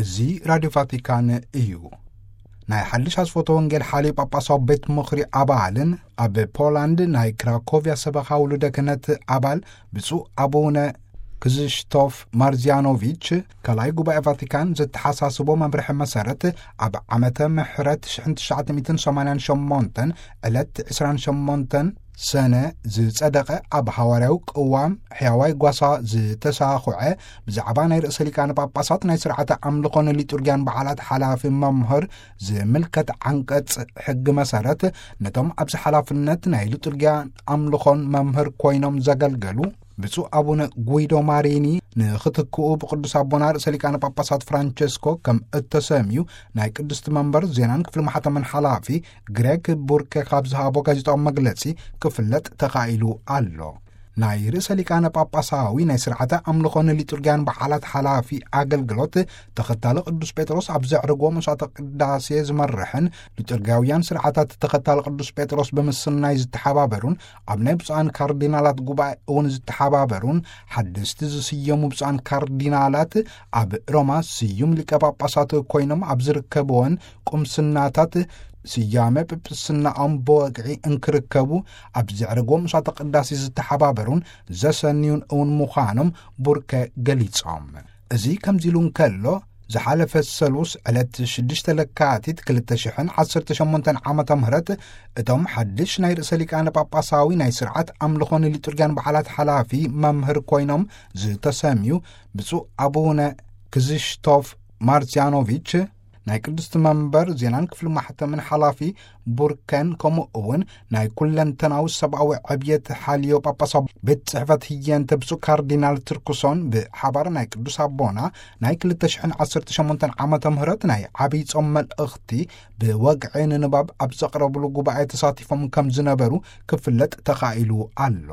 እዚ ራድዮ ቫቲካን እዩ። ናይ ሓድሽ ኣስፎተ ወንጌል ሓልዮ ጳጳሳዊ ቤት ምኽሪ ኣባልን ኣብ ፖላንድ ናይ ክራኮቪያ ሰበኻ ውሉደ ክህነት ኣባል ብፁዕ ኣቡነ ክዝሽቶፍ ማርዚያኖቪች፣ ካልኣይ ጉባኤ ቫቲካን ዘተሓሳስቦ መምርሒ መሰረት፣ ኣብ ዓመተ ምሕረት ሽሕን ትሽዓተ ሚእትን ሰማንያን ሸሞንተን ዕለት ዕስራን ሸሞንተን ሰነ ዝጸደቐ፣ ኣብ ሃዋርያዊ ቅዋም ሕያዋይ ጓሳ ዝተሳኹዐ፣ ብዛዕባ ናይ ርእሰ ሊቃነ ጳጳሳት ናይ ስርዓተ ኣምልኾን ሊጡርጊያን በዓላት ሓላፊ መምህር ዝምልከት ዓንቀጽ ሕጊ መሰረት፣ ነቶም ኣብዚ ሓላፍነት ናይ ሊጡርጊያን ኣምልኾን መምህር ኮይኖም ዘገልገሉ ብፁዕ ኣቡነ ጉይዶ ማሪኒ ንኽትክኡ ብቅዱስ ኣቦና ርእሰ ሊቃነ ጳጳሳት ፍራንቸስኮ ከም እተሰምዩ ናይ ቅድስቲ መንበር ዜናን ክፍሊ ማሕተምን ሓላፊ ግሬግ ቡርኬ ካብ ዝሃቦ ጋዜጣዊ መግለጺ ክፍለጥ ተኻኢሉ ኣሎ። ናይ ርእሰ ሊቃነ ጳጳሳዊ ናይ ስርዓተ ኣምልኾን ሊጡርጊያን በዓላት ሓላፊ ኣገልግሎት፣ ተኸታሊ ቅዱስ ጴጥሮስ ኣብ ዘዕረግዎ መስዋዕተ ቅዳሴ ዝመርሕን ሊጡርጊያውያን ስርዓታት ተኸታሊ ቅዱስ ጴጥሮስ ብምስናይ ዝተሓባበሩን፣ ኣብ ናይ ብፁዓን ካርዲናላት ጉባኤ እውን ዝተሓባበሩን፣ ሓደስቲ ዝስየሙ ብፁዓን ካርዲናላት ኣብ ሮማ ስዩም ሊቀ ጳጳሳት ኮይኖም ኣብ ዝርከብወን ቁምስናታት ስያመ ጵጵስናኦም ብወግዒ እንክርከቡ ኣብ ዘዕረግዎ መስዋዕተ ቅዳሴ ዝተሓባበሩን ዘሰንዩን እውን ምዃኖም ቡርኬ ገሊጾም። እዚ ከምዚ ኢሉ እንከሎ፣ ዝሓለፈ ሰሉስ ዕለት ሽዱሽተ ለካቲት ክልተ ሽሕን ዓሰርተ ሸሞንተን ዓመተ ምህረት፣ እቶም ሓድሽ ናይ ርእሰ ሊቃነ ጳጳሳዊ ናይ ስርዓት ኣምልኾን ሊጡርጊያን በዓላት ሓላፊ መምህር ኮይኖም ዝተሰምዩ ብፁዕ ኣቡነ ክዝሽቶፍ ማርሲያኖቪች፣ ናይ ቅድስቲ መንበር ዜናን ክፍሊ ማሕተምን ሓላፊ ቡርከን፣ ከምኡ እውን ናይ ኩለንተናዊ ሰብኣዊ ዕብየት ሓልዮ ጳጳሳዊ ቤት ጽሕፈት ህየንተ ብፁዕ ካርዲናል ትርኩሶን ብሓባር ናይ ቅዱስ ኣቦና ናይ ክልተ ሽሕን ዓሰርተ ሸሞንተን ዓመተ ምህረት ናይ ዓብይ ጾም መልእኽቲ ብወግዒ ንንባብ ኣብ ዘቕረብሉ ጉባኤ ተሳቲፎም ከም ዝነበሩ ክፍለጥ ተኻኢሉ ኣሎ።